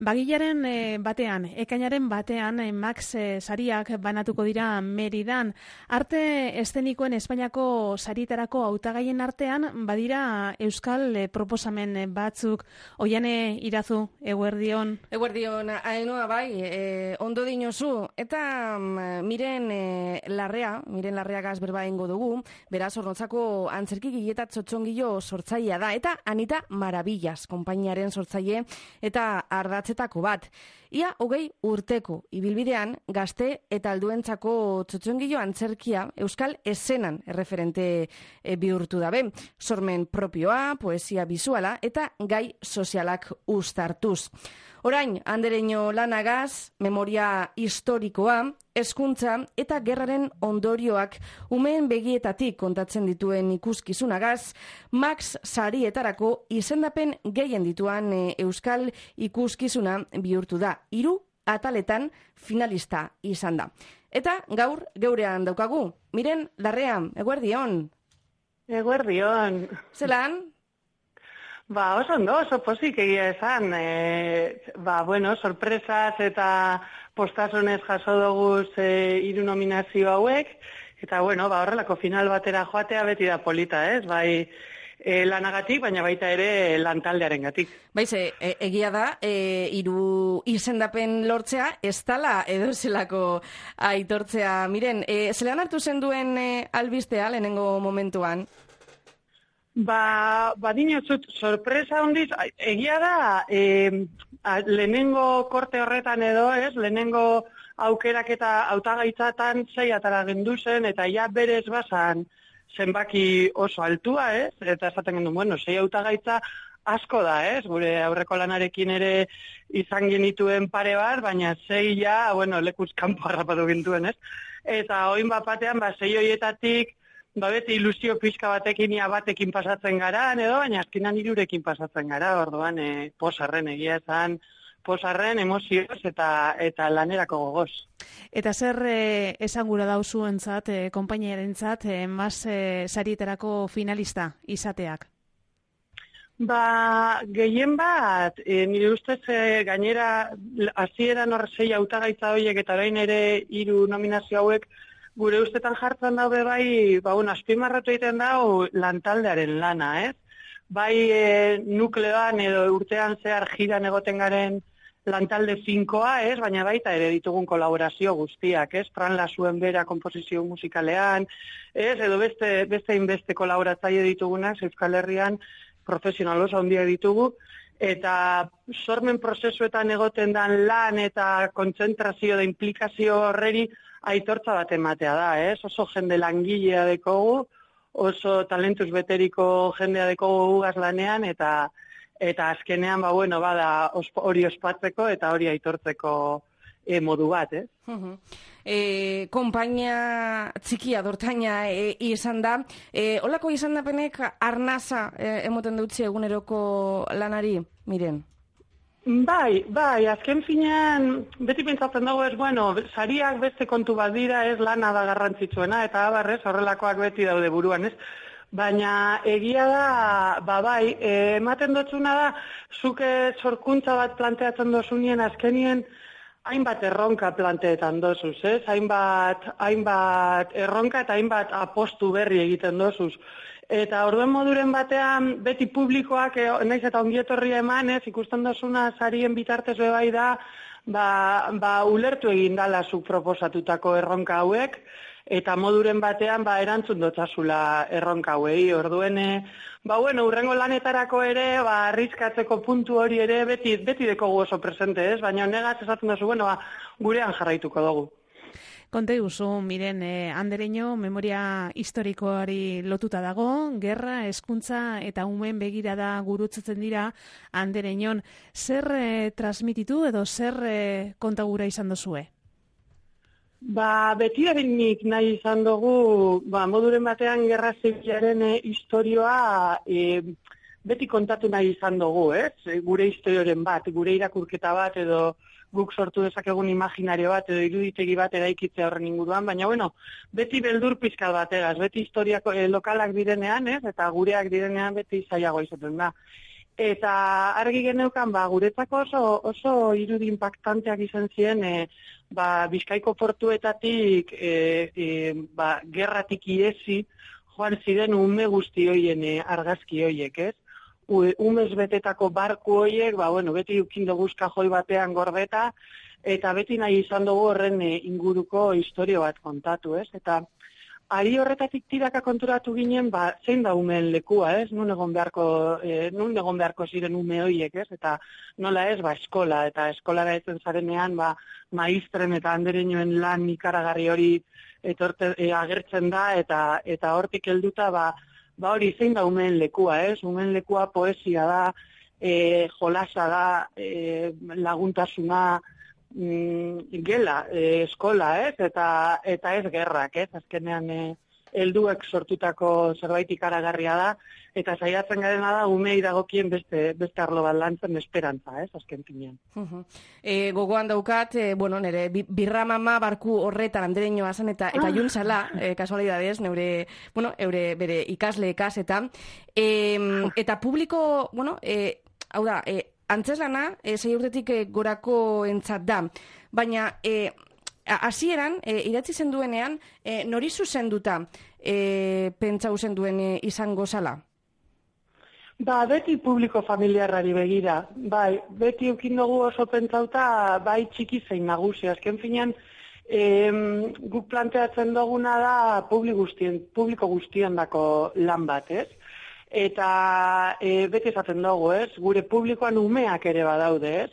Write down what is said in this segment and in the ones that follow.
Bagilaren batean, ekainaren batean, Max sariak banatuko dira Meridan. Arte eszenikoen Espainiako sarietarako hautagaien artean, badira euskal proposamen batzuk. Oiane Irazu, eguerdion. Eguerdion, Ainhoa bai, ondo dinozu. Eta Miren Larreagaz berba ingo dugu, beraz Zornotzako antzerki gileta txotxongilo sortzailea da. Eta Anita Maravillas, konpainiaren sortzaile eta ardatzetako bat. Ia 20 urteko ibilbidean gazte eta alduentzako txotxongilo antzerkia euskal eszenan erreferente bihurtu dabe. Sormen propioa, poesia bisuala eta gai sozialak uztartuz. Orain, Andereño lanagaz, memoria historikoa, hezkuntza eta gerraren ondorioak umeen begietatik kontatzen dituen ikuskizunagaz, Max sarietarako izendapen gehien dituan euskal ikuskizuna bihurtu da. 3 ataletan finalista izan da. Eta gaur geurean daukagu. Miren Larrea, eguerdion. Eguerdion. Zelan? Oso ondo, oso pozik egia esan. Sorpresaz eta postasonez jaso doguz 3 nominazio hauek. Eta, horrelako final batera joatea beti da polita, ez? Bai, lanagatik, baina baita ere lantaldearen gatik. Baize, egia da, 3 izendapen lortzea, ez dala edo zelako aitortzea. Miren, zelan hartu zen duen albistea lehenengo momentuan? Dinozut, sorpresa hondiz, egia da, lehenengo korte horretan edo, ez, lehenengo aukerak eta hautagaitzatan 6 atara gendu zen, eta ja berez bazan zenbaki oso altua, ez, eta esaten gendu, 6 hautagaitza asko da, ez, gure aurreko lanarekin ere izan genituen pare bat, baina 6 ja, lekuz kanpo harrapatu gintuen, ez, eta oin batean, 6 horietatik, beti ilusio pixka batekin ia batekin pasatzen gara, edo, baina azkenan 3rekin pasatzen gara, orduan posarren egia esan, posarren emozioz eta lanerako gogoz. Eta zer esan gura dauzuentzat, konpainiarentzat, Mas sarietarako finalista izateak? Gehien bat, nire ustez gainera hasieran 6 hautagaitza horiek eta orain ere 3 nominazio hauek gure ustetan jartzen daude bai, azpimarratu egiten dau lantaldearen lana, ez? Bai nukleoan edo urtean zehar jiran egoten garen lantalde finkoa, ez? Baina baita ere ditugun kolaborazio guztiak, ez? Fran Lasuen bera komposizio musikalean, ez? Edo beste inbeste kolaboratzaile ditugunak, Euskal Herrian profesional oso handia ditugu, eta sormen prozesuetan egoten dan lan eta kontzentrazio da implikazio horreri aitortza bat ematea da, ez? Oso jende langilea dekogu, oso talentuz beteriko jendea dekogu gugaz lanean, eta azkenean, bada hori ospatzeko eta hori aitortzeko modu bat, ez? Konpainia txikia dortaina izan da. Olako izan dapenek arnaza emoten dutzi eguneroko lanari, Miren? Bai, azken finean, beti pentsatzen dago ez, sariak beste kontu bat dira, ez, lana da garrantzitsuena, eta abarrez, horrelakoak beti daude buruan, ez? Baina egia da, ematen dotzuna da, zuke sorkuntza bat planteatzen dozunien azkenien, hainbat erronka planteetan dozuz, ez? Hainbat erronka eta hainbat apostu berri egiten dozuz. Eta orduen moduren batean, beti publikoak, naiz eta ongietorria eman, ez, ikusten dozuna sarien bitartez bai da, ulertu egin dala zuk proposatutako erronka hauek, eta moduren batean, erantzun dotzazula erronka hauei. Orduen, urrengo lanetarako ere, arrizkatzeko puntu hori ere, beti dekogu oso presente, ez? Baina negaz esaten dozu, gurean jarraituko dugu. Konte guzu, Miren, Andereño memoria historikoari lotuta dago, gerra, hezkuntza eta umeen begirada gurutzatzen dira Andereñon. Zer transmititu edo zer kontagura izan dozue? Beti nik nahi izan dugu, moduren batean gerra zibilaren historioa beti kontatu nahi izan dugu, ez? Gure historioren bat, gure irakurketa bat edo guk sortu dezakegun imaginario bat edo iruditegi bat eraikitzea horren inguruan, baina beti beldur pizkat bategaz, beti historiako lokalak direnean, ez? Eta gureak direnean beti zailago izaten da. Eta argi geneukan, guretzako oso irudi impactanteak izan ziren, Bizkaiko portuetatik, gerratik iesi, joan ziren ume guzti hoien argazki hoiek, ez? Umez betetako barku hoiek, beti ukin dugu kajoi batean gordeta, eta beti nahi izan dugu horren inguruko istorio bat kontatu, ez? Eta ari horretatik tiraka konturatu ginen, zein da umeen lekua, ez? Nun egon beharko ziren ume hoiek, ez? Eta nola ez, eskola, eta eskolara etzen zarenean, maistren eta andereñoen lan ikaragarri hori agertzen da, eta hortik helduta, hori zein da umeen lekua, ez? Umeen lekua poesia da, jolasa da, laguntasuna, gela, eskola, ez? Eta ez gerrak, ez? Azkenean helduek sortutako zerbait ikaragarria da, eta saiatzen garena da umei dagokien beste arlo bat lantzen esperantza, ez? Azken finean. Gogoan daukat, nire birra mama barku horretan andereñoa zen eta juntzala, kasualidadez, eure bere ikasle ikasetan, eta publiko, hau da, antzeslana, 6 urtetik gorako entzat da, baina hasieran idatzi zenduenean, nori zuzenduta pentsau zenduen izango zala? Beti publiko familiarrari begira. Beti eukin dugu oso pentsauta, txiki zein nagusi. Azken finean, guk planteatzen duguna da publiko guztien dako lan bat, ez? Eta beti esaten dugu, ez? Gure publikoan umeak ere badaude, ez?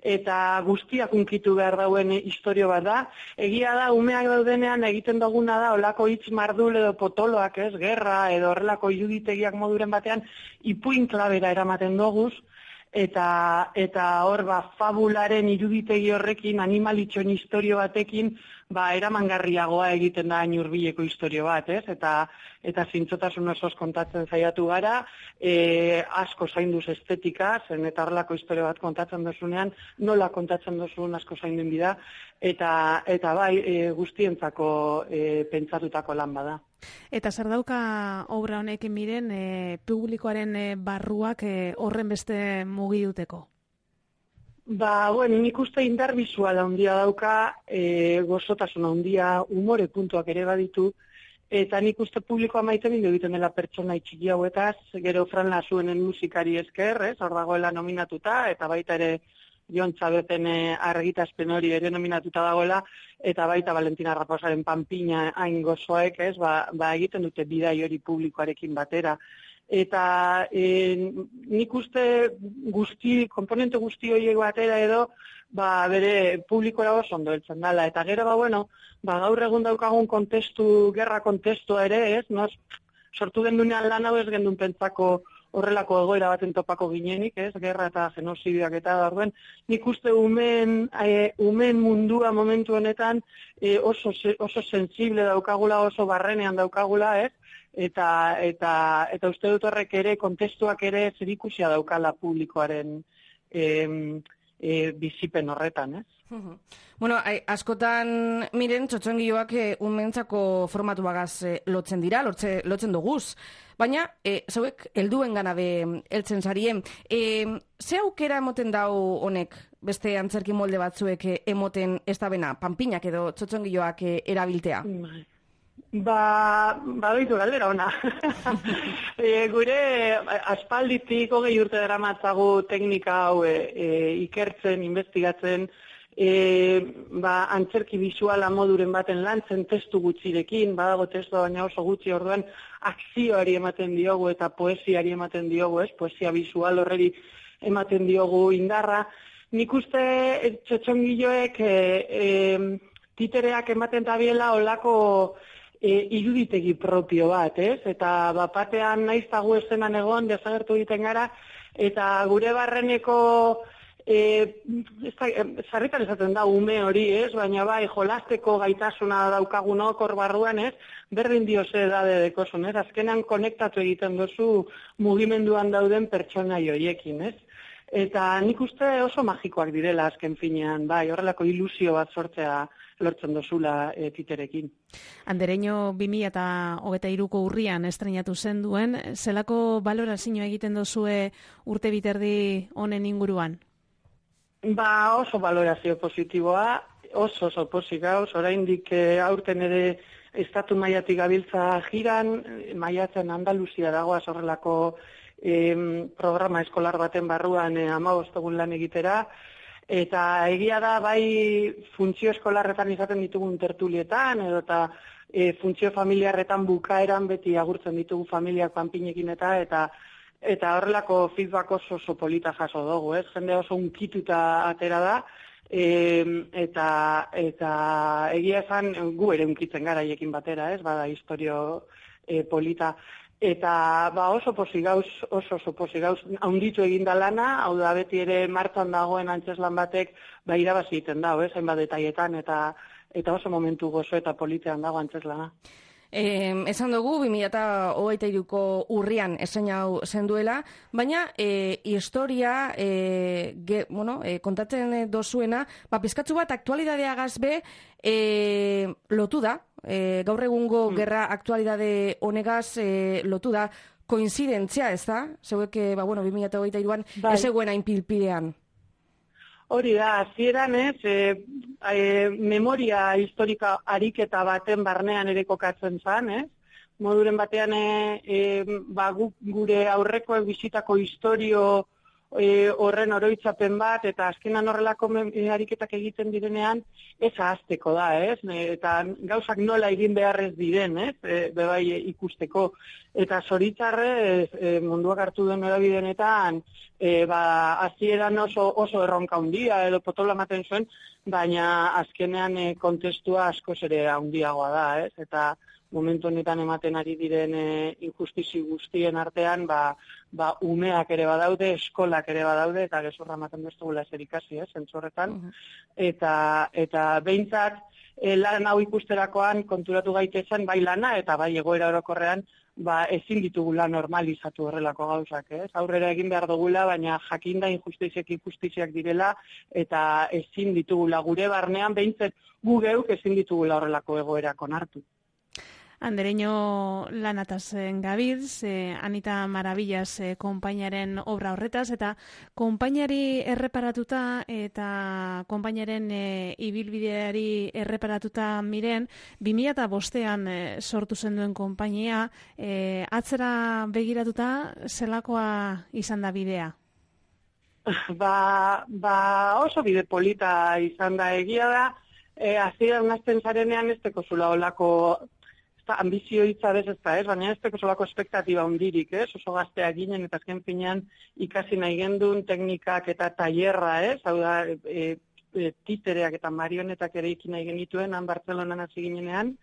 Eta guztiak unkitu behar dauen istorio bat da. Egia da, umeak daudenean egiten duguna da, olako hitz mardul edo potoloak, ez? Gerra edo horrelako iruditegiak moduren batean, ipuin klabera eramaten doguz, eta hor, fabularen iruditegi horrekin, animalitxon istorio batekin, eramangarriagoa egiten da hain hurbileko istorio bat, ez? Eta zintzotasun osoz kontatzen saiatu gara, asko zainduz estetika, zen eta horrelako istorio bat kontatzen dozunean, nola kontatzen dozun asko zainduen bida, eta guztientzako pentsatutako lan bada. Eta zer dauka obra honekin miren, publikoaren barruak horren beste mugi duteko? Nik uste indar bizuala handia dauka, gozotasun handia, umore puntuak ere baditu, eta nik uste publikoa maite bindu egiten dela pertsona txiki hauetaz, gero Fran Lasuenen musikari esker, hor dagoela nominatuta, eta baita ere Jon Txabeten argitaspen hori ere nominatuta dagoela, eta baita Valentina Raposaren Panpina hain gozoek, egiten dute bidai hori publikoarekin batera. Eta nik uste komponente guzti horiek batera edo, bere publikora oso ondo heltzen dela. Eta gero, gaur egun daukagun gerra kontestua ere, ez? Sortu gendunean lan hau ez gendun pentsako horrelako egoera baten topako ginenik, ez? Gerra eta genozidioak eta orduen. Nik uste umen mundua momentu honetan oso sensible daukagula, oso barrenean daukagula, ez? Eta uste dut horrek ere, kontestuak ere zerikusia daukala publikoaren bizipen horretan, ez? Askotan miren txotxongioak umentzako formatu bagaz lotzen dira, lotzen duguz. Baina, zauek helduen ganabe heltzen zarien. Ze aukera emoten dau honek beste antzerki molde batzuek emoten ez da bena, panpinak edo txotxongioak erabiltea? Doitu galdera ona. Gure aspalditik 20 urte daramatzagu teknika hau ikertzen, investigatzen, antzerki bisuala moduren baten lantzen testu gutxirekin, badago testua baina oso gutxi, orduan akzioari ematen diogu eta poesiari ematen diogu, ez? Poesia bisual horreri ematen diogu indarra. Nik uste txotxongiloek titereak ematen tabiela olako iruditegi propio bat, ez? Eta batean naiztagu eszenan egon, desagertu egiten gara, eta gure barreneko sarritan esaten da ume hori, ez? Baina jolasteko gaitasuna daukagunok hor barruan, ez? Berdin dio ze edade dekosun, ez? Azkenean konektatu egiten duzu mugimenduan dauden pertsonai horiekin, ez? Eta nik uste oso magikoak direla azken finean, bai, horrelako ilusio bat sortzea lortzen dozula titerekin. Andereño 2023ko urrian estrenatu zen duen, zelako balorazioa egiten dozue urte biterdi honen inguruan? Ba, oso balorazio positiboa, oso pozik gauz, oraindik aurten ere estatu mailatik gabiltza jiran, maiatzen Andaluzia dagoaz horrelako programa eskolar baten barruan 15 egun lan egitera, eta egia da bai funtzio eskolarretan izaten ditugun tertulietan, edo eta funtzio familiarretan bukaeran beti agurtzen ditugu familiak panpinekin eta horrelako feedback oso polita jaso dugu, ez? Jende oso unkituta atera da, eta egia esan gu ere unkitzen gara haiekin batera, ez? Bada historio polita. Eta oso pozik gauz, haunditu eginda lana, hau da beti ere martxan dagoen antzeslan batek irabazi egiten dago, hainbat detaietan, eta oso momentu gozo eta politean dago antzeslana. Esan dugu, 2023ko urrian estreinatu zen duela, baina historia kontatzen dozuena, pizkatzu bat aktualidadeagaz be lotu da, gaur egungo gerra aktualidade honegaz lotu da, koinzidentzia, ez da? Zeuek, 2023an ez zegoen hain pilpidean. Hori da, hasieran memoria historika ariketa baten barnean ere kokatzen zen, moduren batean gure aurrekoek bizitako historio horren oroitzapen bat, eta azkenan horrelako ariketak egiten direnean, ez ahazteko da, eta gauzak nola egin beharrez diren, bebai ikusteko. Eta zoritzarre munduak hartu duen erabidenetan, hasieran oso erronka handia edo potola ematen zuen, baina azkenean kontestua askoz ere handiagoa da, eta momentu honetan ematen ari diren injustizi guztien artean, umeak ere badaude, eskolak ere badaude, eta gezurra ematen bestugula ezer ikasi, zentzu horretan. Eta behintzat, lan hau ikusterakoan konturatu gaitezen, bai lana eta bai egoera orokorrean, ezin ditugula normalizatu horrelako gauzak, aurrera egin behar dugula, baina jakinda injustiziak direla, eta ezin ditugula gure barnean, behintzat gu geuk ezin ditugula horrelako egoerak onartu. Andereño lanataz gabiltz, Anita Maravillas konpainaren obra horretaz, eta konpainari erreparatuta eta konpainaren ibilbideari erreparatuta miren, 2005an sortu zen duen konpainia, atzera begiratuta zelakoa izan da bidea? Oso bide polita izan da, egia da, hasieran unazten zarenean ez teko zula olako ambizio hitza ez da, baina ez teko solako espektatiba hundirik, oso gazteak ginen eta azken finean ikasi nahi gendun teknikak eta tailerra, hau da, titereak eta marionetak ere ikin nahi genituen, han Bartzelonan hasi ginenean,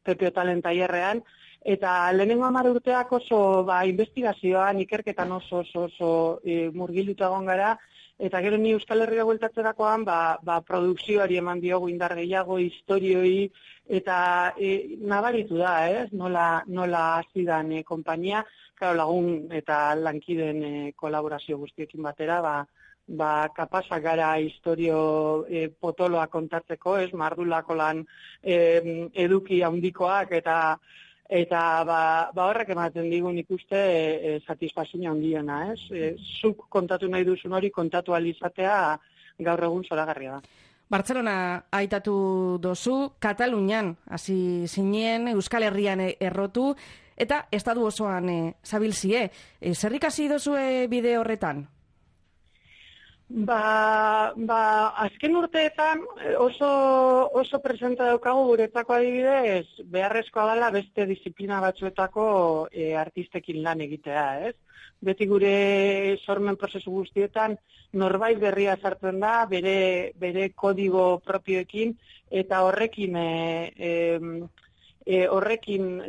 Pepe Otalen tailerrean, eta lehenengo 10 urteak oso investigazioan, ikerketan oso murgilduta egon gara, eta gero ni Euskal Herria bueltatzerakoan, produkzioari eman diogu indar gehiago, historioi, eta nabaritu da, nola hasidan konpainia, lagun eta lankiden kolaborazio guztiekin batera, kapazak gara historio potoloa kontatzeko, mardulako lan eduki handikoak, eta horrek ematen digun ikuste satisfazioa handiena, zuk kontatu nahi duzun hori kontatu alizatea gaur egun zoragarria da. Bartzelona aitatu dozu, Katalunian hasi zinen, Euskal Herrian errotu, eta estatu osoan zabilzie. Zer ikasi dozue bide horretan? Azken urteetan oso presenta daukagu guretzako adibidez, beharrezkoa dela beste disiplina batzuetako artistekin lan egitea, Beti gure sormen prozesu guztietan norbait berria sartzen da, bere kodigo propioekin, eta horrekin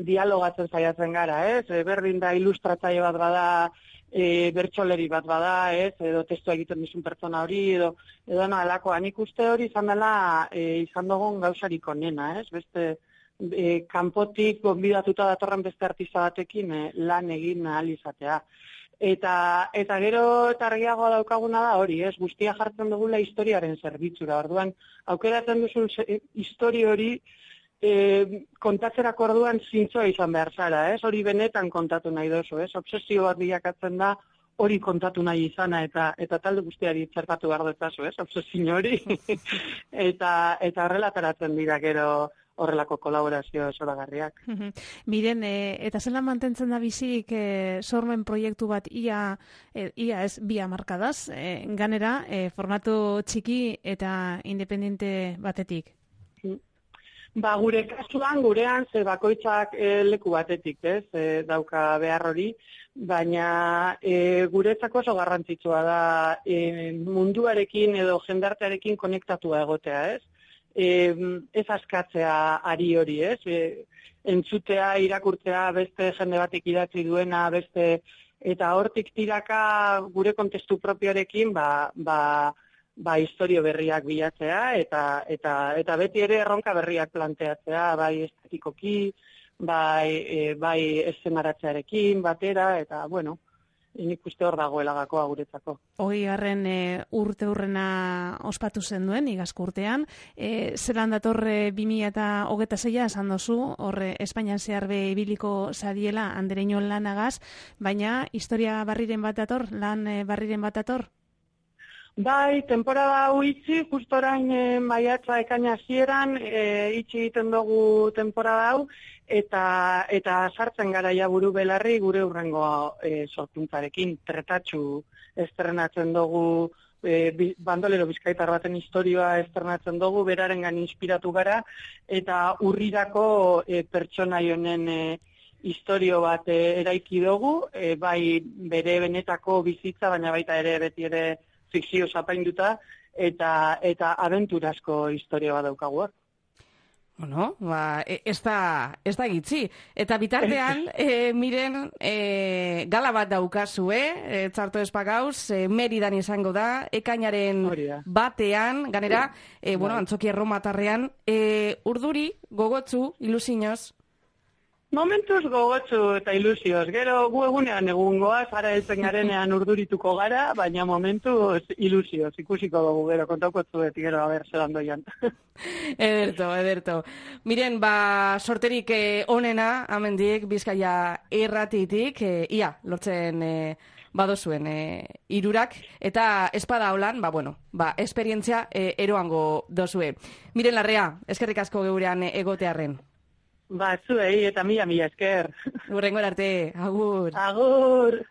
dialogatzen saiatzen gara, berdin da ilustratzaile bat bada, bertsoleri bat bada, edo testua egiten dizun pertsona hori, edo nolakoa. Nik uste hori izan dela izan dugun gauzarik onena, beste kanpotik gonbidatuta datorren beste artista batekin lan egin ahal izatea. Eta gero targiagoa daukaguna da hori, ez? Guztia jartzen dugula historiaren zerbitzura. Orduan, aukeratzen duzun histori hori kontatzerako orduan zintzoa izan behar zara, ez? Hori benetan kontatu nahi dozu, ez? Obsesio bat bilakatzen da hori kontatu nahi izana eta talde guztiari txertatu behar detazu, ez? Obsesio hori. eta horrelataratzen dira gero horrelako kolaborazio zoragarriak. Miren, eta zelan mantentzen da bizirik sormen proiektu bat ia ez bi hamarkadaz, ganera formato txiki eta independente batetik? Ba, gure kasuan, gurean, ze bakoitzak leku batetik, ez, dauka behar hori, baina guretzako oso garrantzitsua da munduarekin edo jendartearekin konektatua egotea, ez? Ez askatzea ari hori, ez? Entzutea, irakurtzea, beste jende batek idatzi duena, beste, eta hortik tiraka gure kontestu propioarekin, historio berriak bilatzea eta beti ere erronka berriak planteatzea, bai estetikoki, bai eszenaratzearekin batera, eta bueno, nik uste hor dagoela gakoa guretzako. 20. urte hurrena ospatu zen duen, igazko urtean, zelan dator 2026 esan dozu, horre Espainian zehar be ibiliko zadiela Andereño lanagaz, baina historia barriren bat dator, lan barriren bat dator? Bai, temporada hau itxi, justo orain maiatza ekaina hasieran itxi egiten dugu temporada hau, eta sartzen gara ja buru belarri gure hurrengo sorkuntzarekin. Tretatxu estrenatzen dugu, bandolero bizkaitar baten historioa estrenatzen dugu, berarengan inspiratu gara, eta urrirako pertsonai honen historio bat eraiki dugu, bai bere benetako bizitza, baina baita ere beti ere fikzio zapainduta, eta abenturazko historia bat daukagu. Bueno, ez da gitzi. Eta bitartean, miren, gala bat daukazue, txarto espagauz, Meridan izango da, ekainaren batean, ganera, Antzoki Erromatarrean, urduri, gogotzu, ilusinoz. Momentuz gogotzu eta ilusioz. Gero gu egunean egungoa, zara heltzen garenean urdurituko gara, baina momentuz ilusioz. Ikusiko dugu gero, kontauko zuet, gero, zelan doian. Ederto. Miren, sorterik onena, amendik, Bizkaia irratitik, ia, lortzen badozuen irurak, eta espada holan, esperientzia eroango dozue. Miren Larrea, eskerrik asko geurean egotearren. Zuei eta mila esker. Hurrengora arte, agur. Agur.